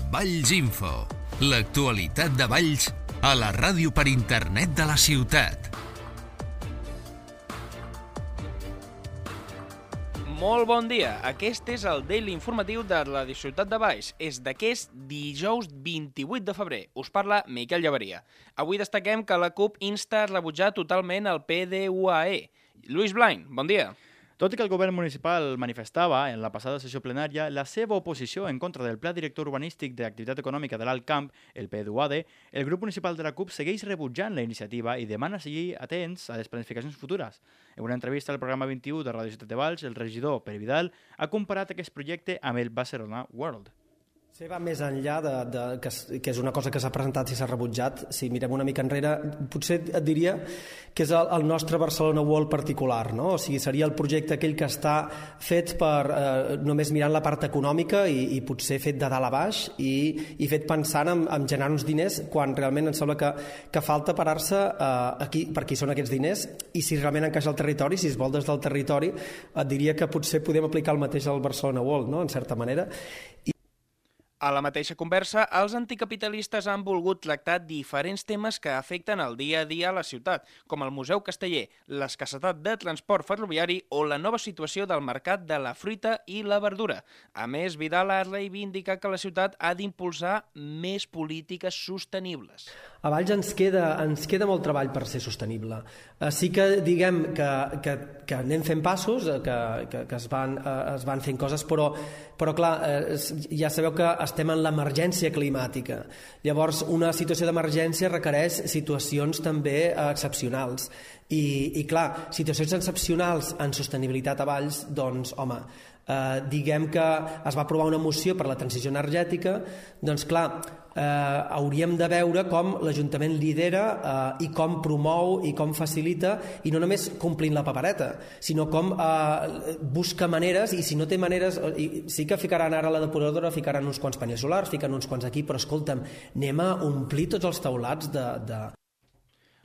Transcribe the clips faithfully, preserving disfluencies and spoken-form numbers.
Valls Info, l'actualitat de Valls a la ràdio per internet de la ciutat. Molt bon dia, aquest és el Daily Informatiu de la Ciutat de Valls. És d'aquest dijous vint-i-vuit de febrer. Us parla Miquel Llaveria. Avui destaquem que la CUP insta a rebutjar totalment el P D U A E. Lluís Blain, bon dia. Tot i que el govern municipal manifestava en la passada sessió plenària la seva oposició en contra del Pla Director Urbanístic d'Activitat Econòmica de l'Alt Camp, el P D U A D, el grup municipal de la CUP segueix rebutjant la iniciativa i demana seguir atents a les planificacions futures. En una entrevista al programa vint-i-u de Ràdio Ciutat de Valls, el regidor Pere Vidal ha comparat aquest projecte amb el Barcelona World. Sí, va més enllà de, de, que, que és una cosa que s'ha presentat i s'ha rebutjat. Si mirem una mica enrere, potser et diria que és el, el nostre Barcelona World particular, no? O sigui, seria el projecte aquell que està fet per eh, només mirant la part econòmica i, i potser fet de dalt a baix i, i fet pensant en, en generar uns diners quan realment em sembla que, que falta parar-se eh, aquí, per qui són aquests diners i si realment encaixa el territori, si es vol des del territori, et diria que potser podem aplicar el mateix al Barcelona World, no? En certa manera. I A la mateixa conversa, els anticapitalistes han volgut tractar diferents temes que afecten el dia a dia a la ciutat, com el Museu Casteller, l'escassetat de transport ferroviari o la nova situació del mercat de la fruita i la verdura. A més, Vidal ha reivindicat que la ciutat ha d'impulsar més polítiques sostenibles. A Valls ens queda, ens queda molt treball per ser sostenible. Eh, sí que diguem que, que, que anem fent passos, que, que, que es, van, eh, es van fent coses, però, però clar, eh, ja sabeu que estem en l'emergència climàtica. Llavors, una situació d'emergència requereix situacions també eh, excepcionals. I, I clar, situacions excepcionals en sostenibilitat a Valls, doncs, home, eh, diguem que es va aprovar una moció per la transició energètica, doncs clar, eh, hauríem de veure com l'Ajuntament lidera eh, i com promou i com facilita, i no només complint la papereta, sinó com eh, busca maneres, i si no té maneres, i sí que ficaran ara a la depuradora, ficaran uns quants panells solars, ficaran uns quants aquí, però escolta'm, anem a omplir tots els taulats de... de...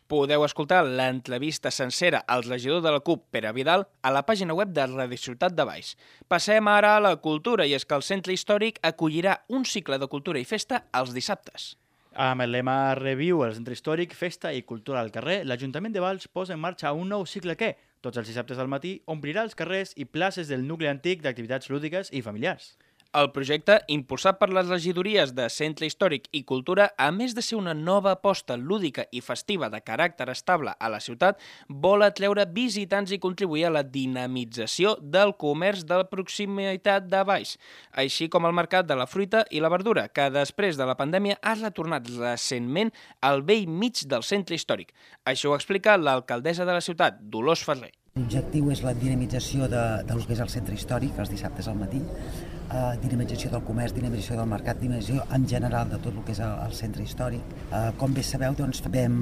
Podeu escoltar l'entrevista sencera al regidor de la CUP, Pere Vidal, a la pàgina web de Ràdio Ciutat de Valls. Passem ara a la cultura, i és que el Centre Històric acollirà un cicle de cultura i festa els dissabtes. Amb el lema Reviu el Centre Històric, Festa i Cultura al carrer, l'Ajuntament de Valls posa en marxa un nou cicle que, tots els dissabtes al matí, omplirà els carrers i places del nucli antic d'activitats lúdiques i familiars. El projecte, impulsat per les regidories de Centre Històric i Cultura, a més de ser una nova aposta lúdica i festiva de caràcter estable a la ciutat, vol atreure visitants i contribuir a la dinamització del comerç de proximitat de Valls, així com el mercat de la fruita i la verdura, que després de la pandèmia ha retornat recentment al vell mig del centre històric. Això ho explica l'alcaldessa de la ciutat, Dolors Ferrer. L'objectiu és la dinamització de, del que és el centre històric, els dissabtes al matí, eh, dinamització del comerç, dinamització del mercat, dinamització en general de tot el que és el, el centre històric. Eh, com bé sabeu, doncs, vam,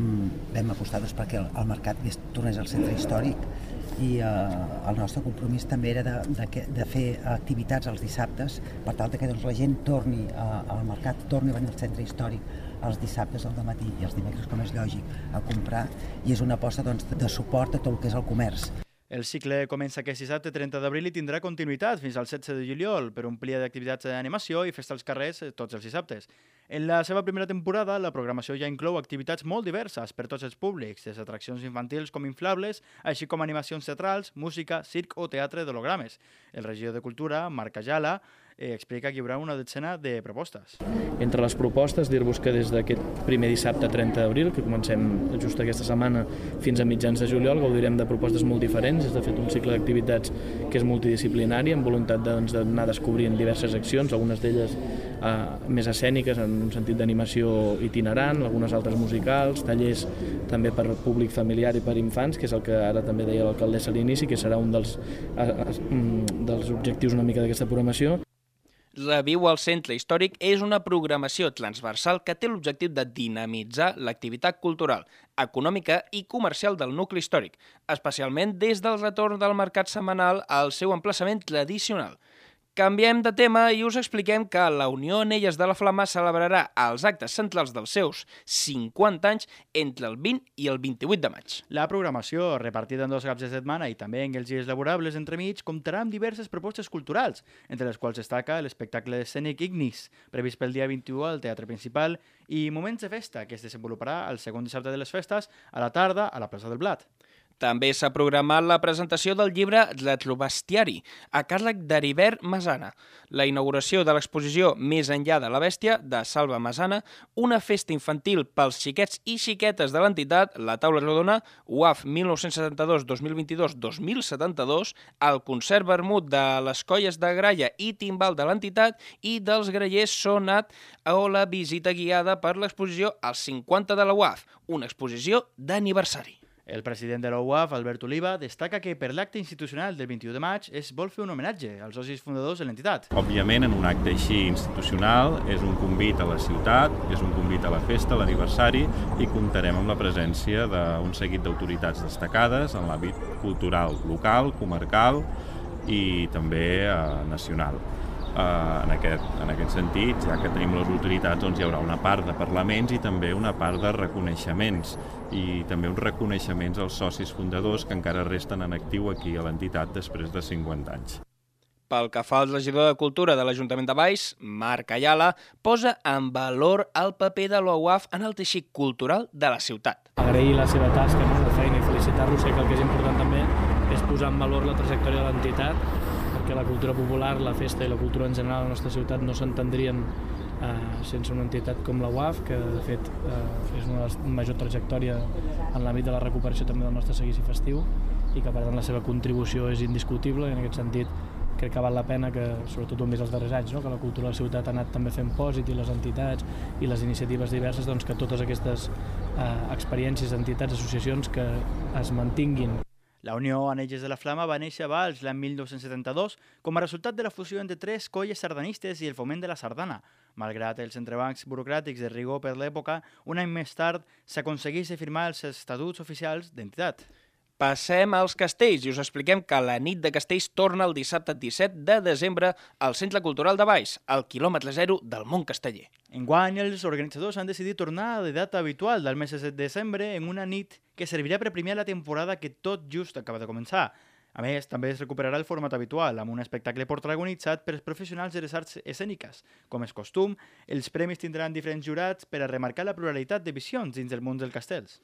vam apostar doncs, perquè el, el mercat tornés al centre històric i eh, el nostre compromís també era de, de, de fer activitats els dissabtes per tal que doncs, la gent torni eh, al mercat, torni a venir al centre històric els dissabtes al matí i els dimecres, com és lògic, a comprar, i és una aposta doncs, de suport a tot el que és el comerç. El cicle comença aquest dissabte trenta d'abril i tindrà continuïtat fins al setze de juliol per omplir d'activitats d'animació i festa als carrers tots els dissabtes. En la seva primera temporada, la programació ja inclou activitats molt diverses per tots els públics, des d'atraccions infantils com inflables, així com animacions teatrals, música, circ o teatre d'hologrames. El regidor de Cultura, Marc Ajala, eh, explica que hi haurà una dotzena de propostes. Entre les propostes, dir-vos que des d'aquest primer dissabte trenta d'abril, que comencem just aquesta setmana fins a mitjans de juliol, gaudirem de propostes molt diferents. És de fet un cicle d'activitats que és multidisciplinari, amb voluntat doncs, d'anar descobrint diverses accions, algunes d'elles eh, més escèniques, en un sentit d'animació itinerant, algunes altres musicals, tallers també per públic familiar i per infants, que és el que ara també deia l'alcaldessa a l'inici, que serà un dels, eh, dels objectius una mica d'aquesta programació. Reviu al Centre Històric és una programació transversal que té l'objectiu de dinamitzar l'activitat cultural, econòmica i comercial del nucli històric, especialment des del retorn del mercat setmanal al seu emplaçament tradicional. Canviem de tema i us expliquem que la Unió Anelles de la Flama celebrarà els actes centrals dels seus cinquanta anys entre el vint i el vint-i-vuit de maig. La programació, repartida en dos caps de setmana i també en els dies laborables entremig, comptarà amb diverses propostes culturals, entre les quals destaca l'espectacle escènic Ignis, previst pel dia vint-i-u al Teatre Principal, i Moments de Festa, que es desenvoluparà el segon dissabte de les festes, a la tarda, a la plaça del Blat. També s'ha programat la presentació del llibre Retrobestiari, a càrrec d'Heribert Masana, la inauguració de l'exposició Més enllà de la bèstia, de Salva Masana, una festa infantil pels xiquets i xiquetes de l'entitat, la taula rodona, U A F mil nou-cents setanta-dos dos mil vint-i-dos dos mil setanta-dos, el concert vermut de les colles de gralla i timbal de l'entitat i dels grallers sonat o la visita guiada per l'exposició als cinquanta de la U A F, una exposició d'aniversari. El president de la U A F, Albert Oliva, destaca que per l'acte institucional del vint-i-u de maig es vol fer un homenatge als socis fundadors de l'entitat. Òbviament, en un acte així institucional, és un convit a la ciutat, és un convit a la festa, a l'aniversari, i comptarem amb la presència d'un seguit d'autoritats destacades en l'àmbit cultural local, comarcal i també eh, nacional. Uh, en, aquest, en aquest sentit, ja que tenim les autoritats, doncs hi haurà una part de parlaments i també una part de reconeixements i també uns reconeixements als socis fundadors que encara resten en actiu aquí a l'entitat després de cinquanta anys. Pel que fa al regidor de Cultura de l'Ajuntament de Valls, Marc Ayala, posa en valor el paper de la U A F en el teixit cultural de la ciutat. Agrair la seva tasca, la seva feina i felicitar-los, sé que el que és important també és posar en valor la trajectòria de l'entitat, perquè la cultura popular, la festa i la cultura en general a la nostra ciutat no s'entendrien eh, sense una entitat com la U A F, que de fet eh, és una de les major trajectòria en l'àmbit de la recuperació també del nostre seguici festiu i que per tant la seva contribució és indiscutible i en aquest sentit crec que val la pena que, sobretot ho hem vist els darrers anys, no? Que la cultura de la ciutat ha anat també fent pòsit i les entitats i les iniciatives diverses, doncs que totes aquestes eh, experiències, entitats, associacions que es mantinguin. La Unió Anelles de la Flama va néixer a Valls l'any mil nou-cents setanta-dos com a resultat de la fusió entre tres colles sardanistes i el foment de la sardana. Malgrat els entrebancs burocràtics de rigor per l'època, un any més tard s'aconsegueix firmar els estatuts oficials d'entitat. Passem als castells i us expliquem que la nit de castells torna el dissabte disset de desembre al Centre Cultural de Valls, al quilòmetre zero del Mont Casteller. Enguany, els organitzadors han decidit tornar a la data habitual del mes de desembre en una nit que servirà per premiar la temporada que tot just acaba de començar. A més, també es recuperarà el format habitual, amb un espectacle protagonitzat per professionals de les arts escèniques. Com és costum, els premis tindran diferents jurats per a remarcar la pluralitat de visions dins del món dels castells.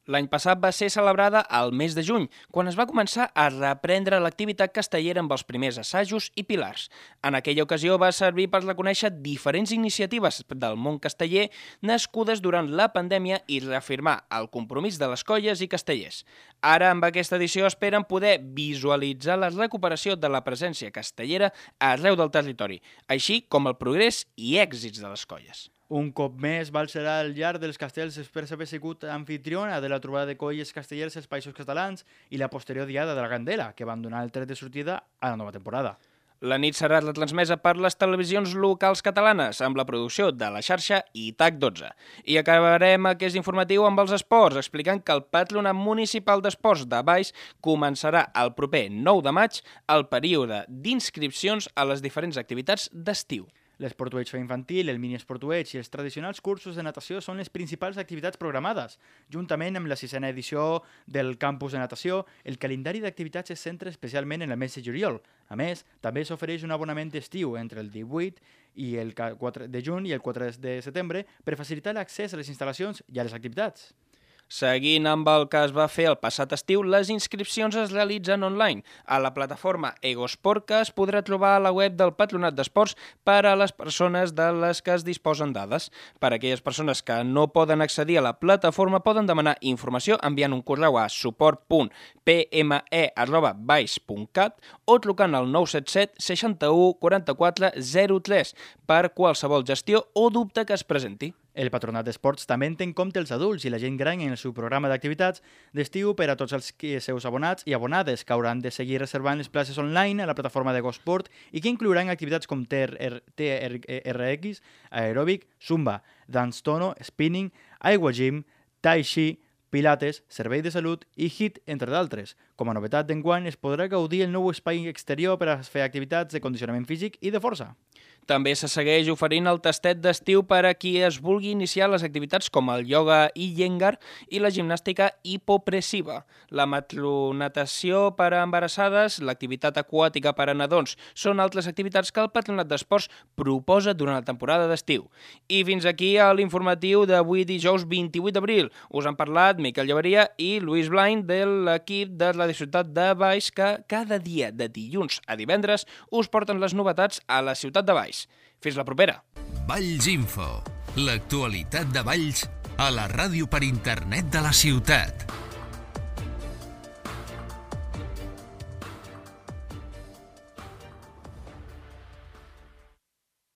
L'any passat va ser celebrada al mes de juny, quan es va començar a reprendre l'activitat castellera amb els primers assajos i pilars. En aquella ocasió va servir per reconèixer diferents iniciatives del món casteller nascudes durant la pandèmia i reafirmar el compromís de les colles i castellers. Ara, amb aquesta edició, esperen poder visualitzar la recuperació de la presència castellera arreu del territori, així com el progrés i èxits de les colles. Un cop més, Valls serà al llarg dels castells després d'haver sigut anfitriona de la trobada de colles castellers als Països Catalans i la posterior diada de la Candela, que van donar el tret de sortida a la nova temporada. La nit serà retransmesa per les televisions locals catalanes amb la producció de La Xarxa i T A C dotze. I acabarem aquest informatiu amb els esports, explicant que el Patronat Municipal d'Esports de Valls començarà el proper nou de maig el període d'inscripcions a les diferents activitats d'estiu. L'esportueig infantil, el mini-esportueig i els tradicionals cursos de natació són les principals activitats programades. Juntament amb la sisena edició del campus de natació, el calendari d'activitats es centra especialment en el mes de juliol. A més, també s'ofereix un abonament d'estiu entre el divuit i el quatre de juny i el quatre de setembre per facilitar l'accés a les instal·lacions i a les activitats. Seguint amb el que es va fer el passat estiu, les inscripcions es realitzen online a la plataforma Egosport, que es podrà trobar a la web del Patronat d'Esports per a les persones de les que es disposen dades. Per a aquelles persones que no poden accedir a la plataforma poden demanar informació enviant un correu a suport punt p m e arroba valls punt cat o trucant al nou set set seixanta-u quaranta-quatre zero tres per qualsevol gestió o dubte que es presenti. El Patronat d'Esports també té en compte els adults i la gent gran en el seu programa d'activitats d'estiu per a tots els seus abonats i abonades que hauran de seguir reservant les places online a la plataforma d'Egosport i que inclouran activitats com T R X, aeròbic, zumba, dance tono, spinning, aigua gym, tai chi, pilates, servei de salut i H I I T, entre d'altres. Com a novetat d'enguany es podrà gaudir el nou espai exterior per a fer activitats de condicionament físic i de força. També se segueix oferint el tastet d'estiu per a qui es vulgui iniciar les activitats com el ioga Iyengar i la gimnàstica hipopressiva. La matronatació per a embarassades, l'activitat aquàtica per a nadons, són altres activitats que el Patronat d'Esports proposa durant la temporada d'estiu. I fins aquí a l'informatiu d'avui dijous vint-i-vuit d'abril. Us han parlat Miquel Llaveria i Lluís Blain de l'equip de la ciutat de Valls que cada dia de dilluns a divendres us porten les novetats a la ciutat de Valls. Fins la propera. Valls Info, l'actualitat de Valls a la ràdio per internet de la ciutat.